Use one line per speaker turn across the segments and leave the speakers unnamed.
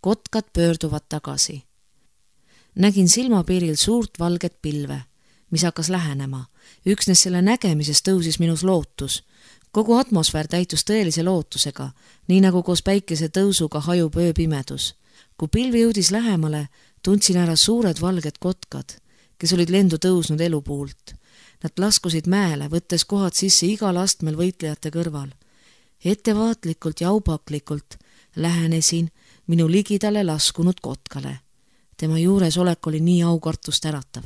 Kotkad pöörduvad tagasi. Nägin silmapiiril suurt valget pilve, mis hakkas lähenema. Üksnes selle nägemises tõusis minus lootus. Kogu atmosfäär täitus tõelise lootusega, nii nagu koos päikese tõusuga hajub ööpimedus. Kui pilv jõudis lähemale, tundsin ära suured valged kotkad, kes olid lendu tõusnud elupuult. Nad laskusid mäele, võttes kohad sisse igal astmel võitlejate kõrval. Ettevaatlikult ja aupaklikult lähenesin minu ligidale laskunud kotkale. Tema juures olek oli nii aukartust äratav.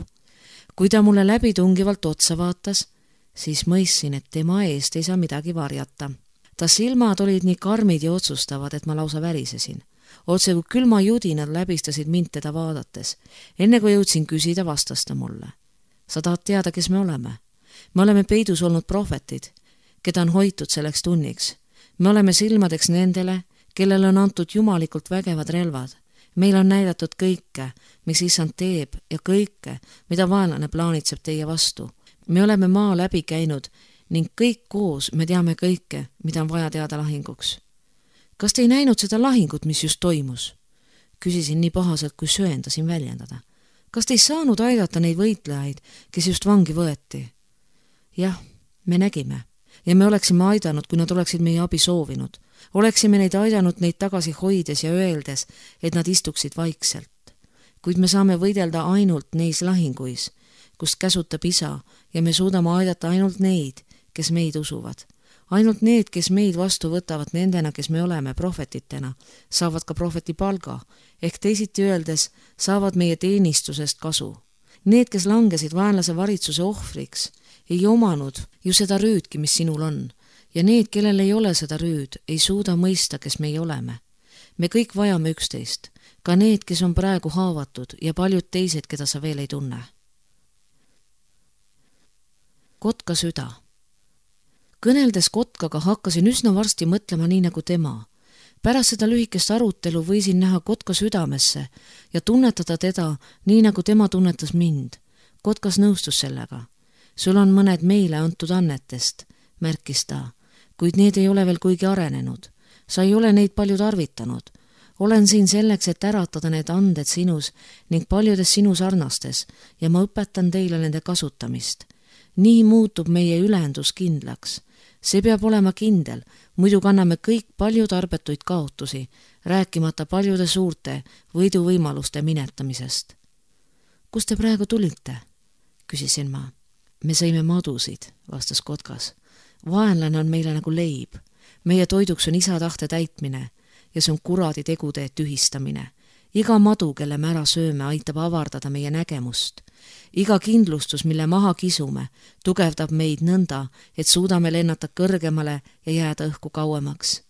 Kui ta mulle läbitungivalt otsa vaatas, siis mõistsin, et tema eest ei saa midagi varjata. Ta silmad olid nii karmid ja otsustavad, et ma lausa värisesin. Otse kui külma judinad läbistasid mind teda vaadates. Enne kui jõudsin küsida, vastas ta mulle. Sa tahad teada, kes me oleme? Me oleme peidus olnud prohvetid, keda on hoitud selleks tunniks. Me oleme silmadeks nendele, kellele on antud jumalikult vägevad relvad. Meil on näidatud kõike, mis issand teeb ja kõike, mida vaenlane plaanitseb teie vastu. Me oleme maa läbi käinud ning kõik koos me teame kõike, mida on vaja teada lahinguks. Kas te ei näinud seda lahingut, mis just toimus? Küsisin nii pahaselt, kui söendasin väljendada. Kas te ei saanud aidata neid võitlejaid, kes just vangi võeti? Jah, me nägime ja me oleksime aidanud, kui nad oleksid meie abi soovinud. Oleksime neid aidanud neid tagasi hoides ja öeldes, et nad istuksid vaikselt. Kuid me saame võidelda ainult neis lahinguis, kust käsutab isa ja me suudame aidata ainult neid, kes meid usuvad. Ainult need, kes meid vastu võtavad nendena, kes me oleme prohvetitena, saavad ka prohveti palga, ehk teisiti öeldes saavad meie teenistusest kasu. Need, kes langesid vaenlase varitsuse ohvriks, ei omanud ju seda rüüdki, mis sinul on, ja need, kellel ei ole seda rüüd, ei suuda mõista, kes meie oleme. Me kõik vajame üksteist, ka need, kes on praegu haavatud ja paljud teised, keda sa veel ei tunne. Kotka süda. Kõneldes kotkaga hakkasin üsna varsti mõtlema nii nagu tema. Pärast seda lühikest arutelu võisin näha kotka südamesse ja tunnetada teda nii nagu tema tunnetas mind. Kotkas nõustus sellega. Sul on mõned meile antud annetest, märkis ta, kuid need ei ole veel kuigi arenenud. Sa ei ole neid palju tarvitanud. Olen siin selleks, et äratada need anded sinus ning paljudes sinu sarnastes ja ma õpetan teile nende kasutamist. Nii muutub meie ülendus kindlaks. See peab olema kindel, muidu kanname kõik palju tarbetuid kaotusi, rääkimata paljude suurte võiduvõimaluste minetamisest. Kus te praegu tulite? Küsisin ma. Me sõime madusid, vastas kotkas. Vaenlane on meile nagu leib. Meie toiduks on isa tahte täitmine ja see on kuradi tegude tühistamine. Iga madu, kelle me ära sööme, aitab avardada meie nägemust. Iga kindlustus, mille maha kisume, tugevdab meid nõnda, et suudame lennata kõrgemale ja jääda õhku kauemaks.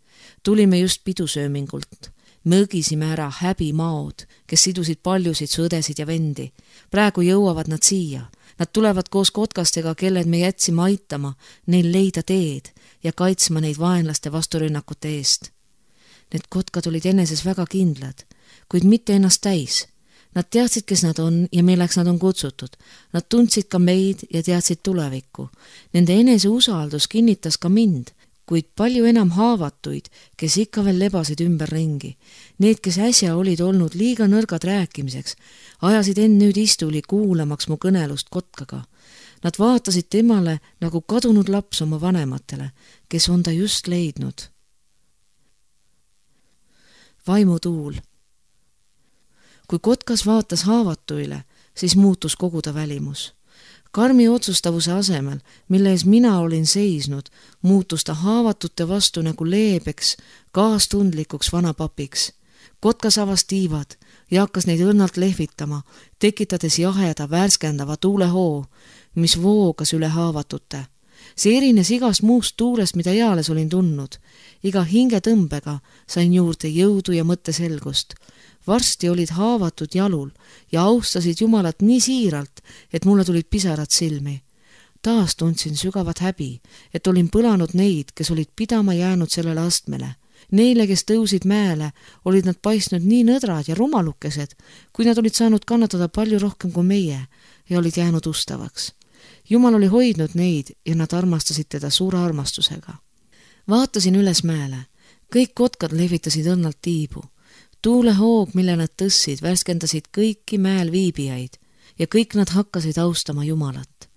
Tulime just pidusöömingult. Me õgisime ära häbimaod, kes sidusid paljusid sõdesid ja vendi. Praegu jõuavad nad siia. Nad tulevad koos kotkastega, kelled me jätsime aitama, neil leida teed ja kaitsma neid vaenlaste vasturünnakute eest. Need kotkad olid eneses väga kindlad, kuid mitte ennast täis. Nad teadsid, kes nad on ja milleks nad on kutsutud. Nad tundsid ka meid ja teadsid tulevikku. Nende enese usaldus kinnitas ka mind, kuid palju enam haavatuid, kes ikka veel lebasid ümber ringi. Need, kes äsja olid olnud liiga nõrgad rääkimiseks, ajasid nüüd istuli kuulamaks mu kõnelust kotkaga. Nad vaatasid temale nagu kadunud laps oma vanematele, kes on ta just leidnud. Vaimutuul. Kui kotkas vaatas haavatuile, siis muutus kogu ta välimus. Karmi otsustavuse asemel, mille ees mina olin seisnud, muutus ta haavatute vastu nagu leebeks, kaastundlikuks vanapapiks. Kotkas avas tiivad ja hakkas neid õnnalt lehvitama, tekitades jaheda, värskendava tuulehoo, mis voogas üle haavatute. See erines igast muust tuulest, mida eales olin tundnud. Iga hingetõmbega sain juurde jõudu ja mõtteselgust. Varsti olid haavatud jalul ja austasid Jumalat nii siiralt, et mulle tulid pisarad silmi. Taas tundsin sügavat häbi, et olin põlanud neid, kes olid pidama jäänud sellele astmele. Neile, kes tõusid mäele, olid nad paistnud nii nõdrad ja rumalukesed, kui nad olid saanud kannatada palju rohkem kui meie ja olid jäänud ustavaks. Jumal oli hoidnud neid ja nad armastasid teda suure armastusega. Vaatasin üles mäele. Kõik kotkad lehvitasid õnnalt tiibu. tuulehoog, mille nad tõssid, värskendasid kõiki mäel viibijaid ja kõik nad hakkasid austama Jumalat.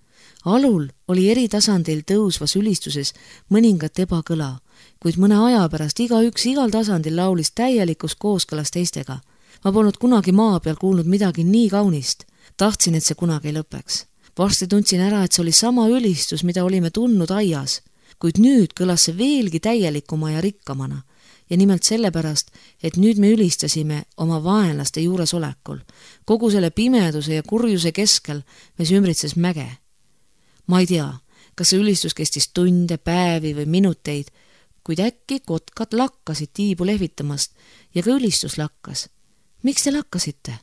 Alul oli eri tasandil tõusvas ülistuses mõningat ebakõla, kuid mõne aja pärast igaüks igal tasandil laulis täielikus kooskõlas teistega. Ma polnud kunagi maa peal kuulnud midagi nii kaunist. Tahtsin, et see kunagi ei lõpeks. Varsti tundsin ära, et see oli sama ülistus, mida olime tundnud aias, kuid nüüd kõlas see veelgi täielikuma ja rikkamana. Ja nimelt sellepärast, et nüüd me ülistasime oma vaenlaste juuresolekul. Kogu selle pimeduse ja kurjuse keskel, mis ümbritses mäge. Ma ei tea, kas see ülistus kestis tunde, päevi või minuteid, kuid äkki kotkad lakkasid tiibu lehvitamast ja ka ülistus lakkas. Miks te lakkasite?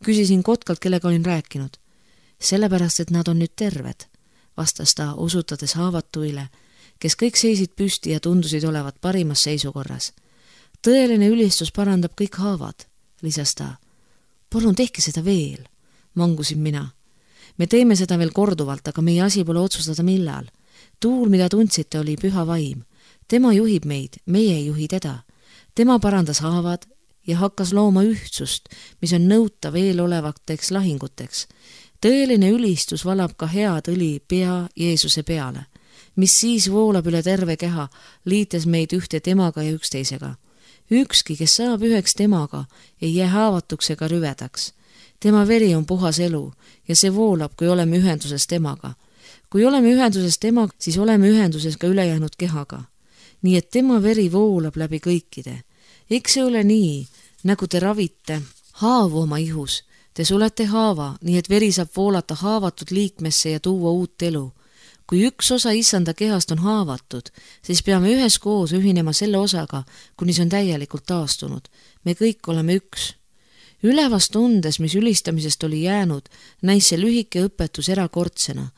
Küsisin kotkalt, kellega olin rääkinud. Sellepärast, et nad on nüüd terved, vastas ta, osutades haavatuile, kes kõik seisid püsti ja tundusid olevat parimas seisukorras. Tõeline ülistus parandab kõik haavad, lisas ta. Palun tehke seda veel, mangusin mina. Me teeme seda veel korduvalt, aga meie asi pole otsustada millal. Tuul, mida tundsite, oli püha vaim. Tema juhib meid, meie ei juhi teda. Tema parandas haavad ja hakkas looma ühtsust, mis on nõutav eelolevateks lahinguteks. Tõeline ülistus valab ka head õli pea Jeesuse peale, mis siis voolab üle terve keha, liites meid ühte temaga ja üksteisega. Ükski, kes saab üheks temaga, ei jää haavatuks ega rüvedaks. Tema veri on puhas elu ja see voolab, kui oleme ühenduses temaga. Kui oleme ühenduses temaga, siis oleme ühenduses ka ülejäänud kehaga. Nii et tema veri voolab läbi kõikide. Eks see ole nii, nagu te ravite haavu oma ihus. Te sulete haava, nii et veri saab voolata haavatud liikmesse ja tuua uut elu. Kui üks osa issanda kehast on haavatud, siis peame üheskoos ühinema selle osaga, kuni see on täielikult taastunud. Me kõik oleme üks. Ülevast tundes, mis ülistamisest oli jäänud, näis see lühike õpetus erakordsena,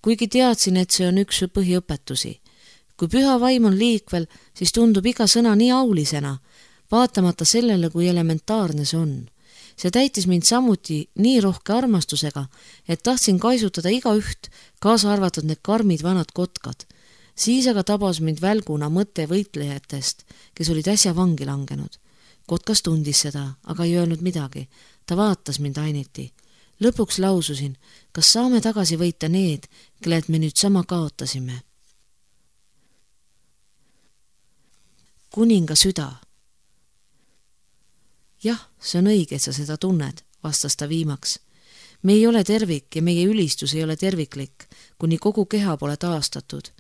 kuigi teadsin, et see on üks põhiõpetusi. Kui püha vaim on liikvel, siis tundub iga sõna nii aulisena, vaatamata sellele, kui elementaarne see on. See täitis mind samuti nii rohke armastusega, et tahtsin kaisutada igaüht, kaasa arvatud need karmid vanad kotkad. Siis aga tabas mind välguna mõte võitlejatest, kes olid äsja vangi langenud. Kotkas tundis seda, aga ei öelnud midagi. Ta vaatas mind ainiti. Lõpuks laususin, kas saame tagasi võita need, kellelt me nüüd sama kaotasime. Kuninga süda. Jah, see on õige, et sa seda tunned, vastas ta viimaks. Me ei ole tervik ja meie ülistus ei ole terviklik, kuni kogu keha pole taastatud.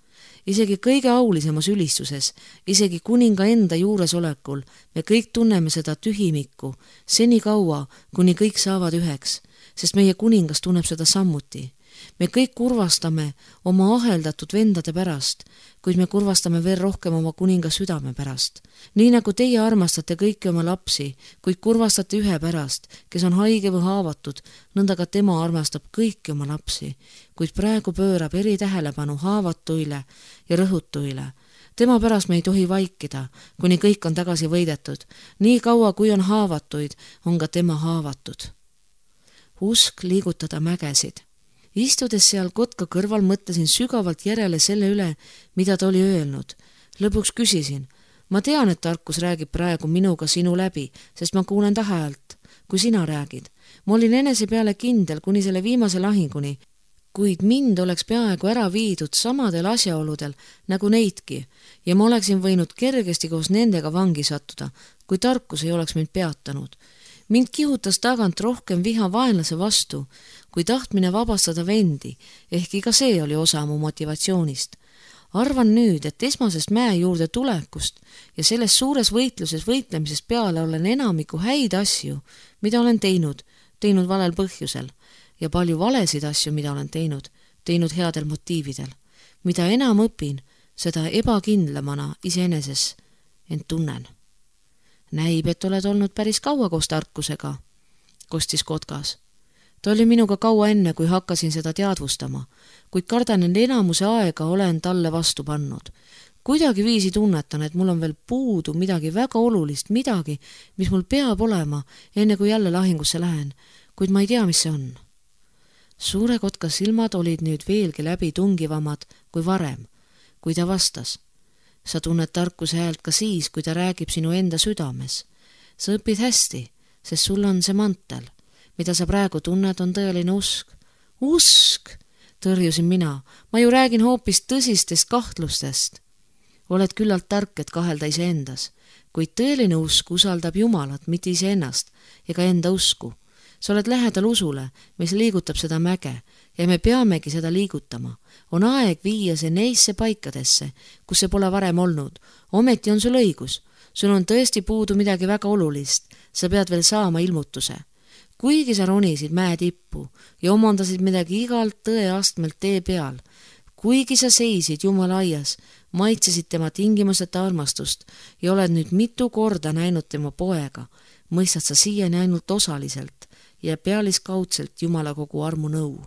Isegi kõige aulisemas ülistuses, isegi kuninga enda juuresolekul, me kõik tunneme seda tühimikku, seni kaua, kuni kõik saavad üheks, sest meie kuningas tunneb seda samuti. Me kõik kurvastame oma aheldatud vendade pärast, kuid me kurvastame veel rohkem oma kuninga südame pärast. Nii nagu teie armastate kõiki oma lapsi, kuid kurvastate ühe pärast, kes on haige või haavatud, nõnda ka tema armastab kõiki oma lapsi, kuid praegu pöörab eritähelepanu haavatuile ja rõhutuile. Tema pärast me ei tohi vaikida, kuni kõik on tagasi võidetud. Nii kaua, kui on haavatuid, on ka tema haavatud. Usk liigutada mägesid. Istudes seal kotka kõrval mõtlesin sügavalt järele selle üle, mida ta oli öelnud. Lõpuks küsisin, ma tean, et tarkus räägib praegu minuga sinu läbi, sest ma kuulen ta häält, kui sina räägid. Ma olin enese peale kindel kuni selle viimase lahinguni, kuid mind oleks peaaegu ära viidud samadel asjaoludel nagu neidki ja ma oleksin võinud kergesti koos nendega vangi sattuda, kui tarkus ei oleks mind peatanud. Mind kihutas tagant rohkem viha vaenlase vastu, kui tahtmine vabastada vendi, ehkki ka see oli osa mu motivatsioonist. Arvan nüüd, et esmasest mäe juurde tulekust ja selles suures võitluses võitlemisest peale olen enamiku häid asju, mida olen teinud valel põhjusel ja palju valesid asju, mida olen teinud headel motiividel. Mida enam õpin, seda ebakindlamana iseeneses end tunnen. Näib, et oled olnud päris kaua koos tarkusega, kostis kotkas. Ta oli minuga kaua enne, kui hakkasin seda teadvustama, kuid kardan, et enamuse aega olen talle vastu pannud. Kuidagi viisi tunnetan, et mul on veel puudu midagi väga olulist, midagi, mis mul peab olema, enne kui jälle lahingusse lähen, kuid ma ei tea, mis see on. Suure kotka silmad olid nüüd veelgi läbi tungivamad kui varem, kui ta vastas. Sa tunned tarkuse häält ka siis, kui ta räägib sinu enda südames. Sa õpid hästi, sest sul on see mantel. Mida sa praegu tunned, on tõeline usk. Usk, tõrjusin mina. Ma ju räägin hoopis tõsistest kahtlustest. Oled küllalt tark, et kahelda iseendas, kuid tõeline usk usaldab Jumalat, mitte iseennast ega enda usku. Sa oled lähedal usule, mis liigutab seda mäge ja me peamegi seda liigutama. On aeg viia see neisse paikadesse, kus see pole varem olnud. Ometi on sul õigus. Sul on tõesti puudu midagi väga olulist. Sa pead veel saama ilmutuse. Kuigi sa ronisid mäe tippu ja omandasid midagi igalt tõeastmelt tee peal, kuigi sa seisid Jumala aias, maitsesid tema tingimuseta armastust ja oled nüüd mitu korda näinud tema poega, mõistad sa siiani ainult osaliselt ja pealiskaudselt Jumala kogu armu nõu.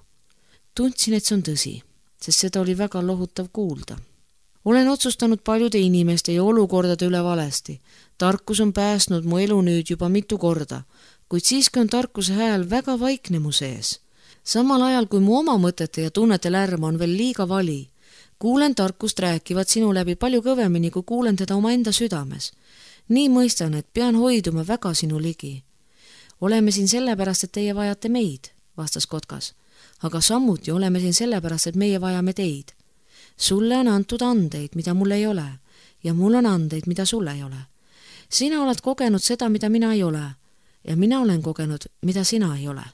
Tundsin, et see on tõsi, sest seda oli väga lohutav kuulda. Olen otsustanud paljude inimeste ja olukordade üle valesti. Tarkus on päästnud mu elu nüüd juba mitu korda, kuid siiski on tarkuse hääl väga vaikne mu sees. Samal ajal, kui mu oma mõtete ja tunnete lärm on veel liiga vali, kuulen tarkust rääkivat sinu läbi palju kõvemini, kui kuulen teda omaenda südames. Nii mõistan, et pean hoiduma väga sinu ligi. Oleme siin sellepärast, et teie vajate meid, vastas Kotkas, aga samuti oleme siin sellepärast, et meie vajame teid. Sulle on antud andeid, mida mul ei ole, ja mul on andeid, mida sul ei ole. Sina oled kogenud seda, mida mina ei ole, ja mina olen kogenud, mida sina ei ole.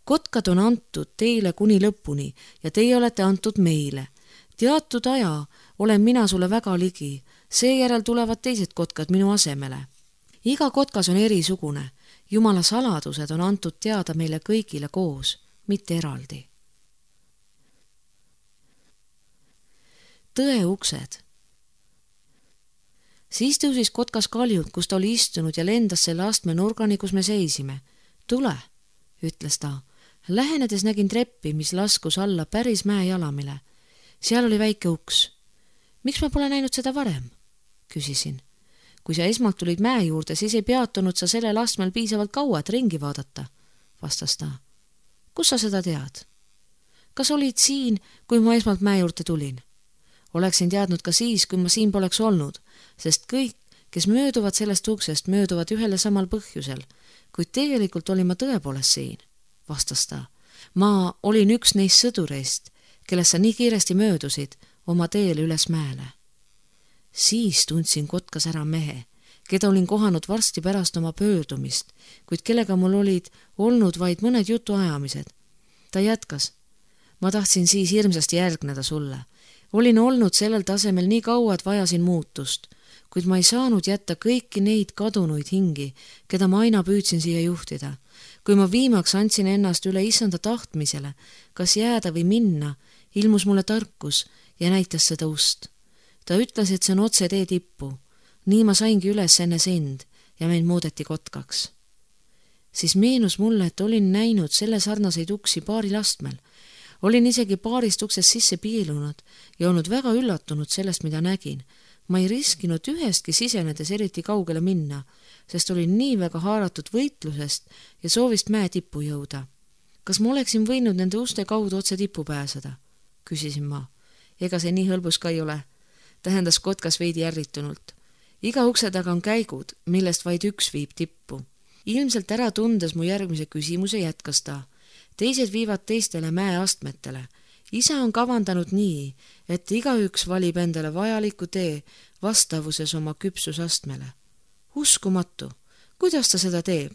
Kotkad on antud teile kuni lõpuni ja teie olete antud meile. Teatud aja olen mina sulle väga ligi, seejärel tulevad teised kotkad minu asemele. Iga kotkas on erisugune. Jumala saladused on antud teada meile kõigile koos, mitte eraldi. Tõe uksed. Siis tõusis Kotkas kaljult, kus ta oli istunud ja lendas selle astme nurgani, kus me seisime. Tule, ütles ta. Lähenedes nägin treppi, mis laskus alla päris mäe jalamile. Seal oli väike uks. Miks ma pole näinud seda varem? Küsisin. Kui sa esmalt tulid mäe juurde, siis ei peatunud sa sellel astmel piisavalt kaua, et ringi vaadata, vastas ta. Kus sa seda tead? Kas olid siin, kui ma esmalt mäe juurde tulin? Oleksin teadnud ka siis, kui ma siin poleks olnud, sest kõik, kes mööduvad sellest uksest, mööduvad ühele samal põhjusel, kuid tegelikult olin ma tõepoolest siin, vastas ta. Ma olin üks neist sõdureist, kellest sa nii kiiresti möödusid oma teele üles mäele. Siis tundsin Kotkas ära mehe, keda olin kohanud varsti pärast oma pöördumist, kuid kellega mul olid olnud vaid mõned jutuajamised. Ta jätkas. Ma tahtsin siis hirmsasti järgneda sulle. Olin olnud sellel tasemel nii kaua, et vajasin muutust, kuid ma ei saanud jätta kõiki neid kadunuid hingi, keda ma aina püüdsin siia juhtida. Kui ma viimaks andsin ennast üle issanda tahtmisele, kas jääda või minna, ilmus mulle tarkus ja näitas seda ust. Ta ütles, et see on otse tee tippu. Nii ma saingi üles enne sind ja mind muudeti kotkaks. Siis meenus mulle, et olin näinud selle sarnaseid uksi paaril astmel. Olin isegi paarist uksest sisse piilunud ja olnud väga üllatunud sellest, mida nägin. Ma ei riskinud ühestki sisenedes eriti kaugele minna, sest olin nii väga haaratud võitlusest ja soovist mäe tippu jõuda. Kas ma oleksin võinud nende uste kaudu otse tippu pääseda? Küsisin ma. Ega see nii hõlbus ka ei ole, tähendas Kotkas veidi ärritunult. Iga ukse taga on käigud, millest vaid üks viib tippu. Ilmselt ära tundes mu järgmise küsimuse jätkas ta. Teised viivad teistele mäeastmetele. Isa on kavandanud nii, et igaüks valib endale vajaliku tee vastavuses oma küpsusastmele. Uskumatu, kuidas ta seda teeb?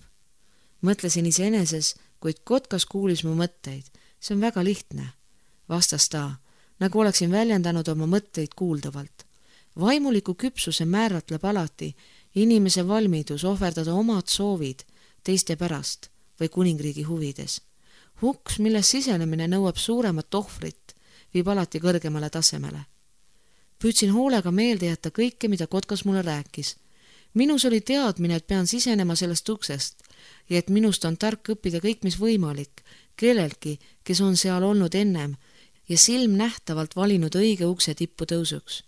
Mõtlesin iseeneses, kuid Kotkas kuulis mu mõtteid. See on väga lihtne, vastas ta, nagu oleksin väljendanud oma mõtteid kuuldavalt. Vaimuliku küpsuse määratleb alati inimese valmidus ohverdada omad soovid teiste pärast või kuningriigi huvides. Uks, milles sisenemine nõuab suuremat ohvrit, viib alati kõrgemale tasemele. Püüdsin hoolega meelde jätta kõike, mida Kotkas mulle rääkis. Minus oli teadmine, et pean sisenema sellest uksest ja et minust on tark õppida kõik, mis võimalik, kellelgi, kes on seal olnud ennem ja silm nähtavalt valinud õige ukse tippu tõusuks.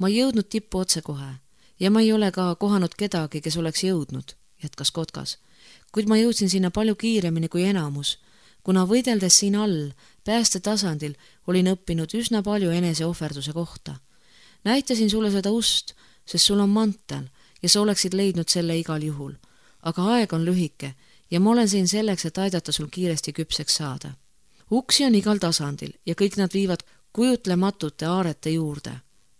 Ma ei jõudnud tippu otsekohe ja ma ei ole ka kohanud kedagi, kes oleks jõudnud, jätkas Kotkas, kuid ma jõudsin sinna palju kiiremini kui enamus, kuna võideldes siin all, pääste tasandil, olin õppinud üsna palju eneseohverduse kohta. Näitasin sulle seda ust, sest sul on mantel ja sa oleksid leidnud selle igal juhul. aga aeg on lühike ja ma olen siin selleks, et aidata sul kiiresti küpseks saada. Uksi on igal tasandil ja kõik nad viivad kujutlematute aarete juurde,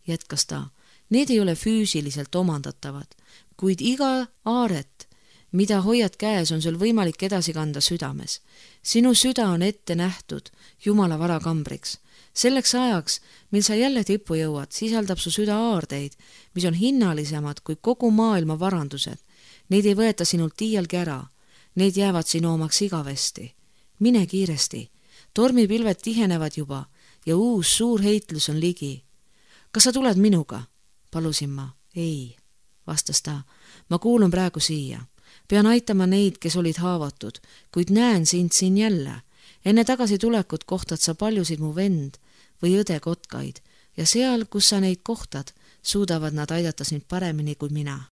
jätkas ta. Need ei ole füüsiliselt omandatavad, kuid iga aaret, mida hoiad käes, on sul võimalik edasi kanda südames. Sinu süda on ette nähtud Jumala varakambriks. Selleks ajaks, mil sa jälle tippu jõuad, sisaldab su süda aardeid, mis on hinnalisemad kui kogu maailma varandused. Neid ei võeta sinult iialgi ära. Need jäävad sinu omaks igavesti. Mine kiiresti. Tormipilved tihenevad juba ja uus suur heitlus on ligi. Kas sa tuled minuga? Palusin ma. Ei, vastas ta. Ma kuulun praegu siia. Pean aitama neid, kes olid haavatud, kuid näen sind siin jälle. Enne tagasi tulekut kohtad sa paljusid mu vend või õde kotkaid ja seal, kus sa neid kohtad, suudavad nad aidata sind paremini kui mina.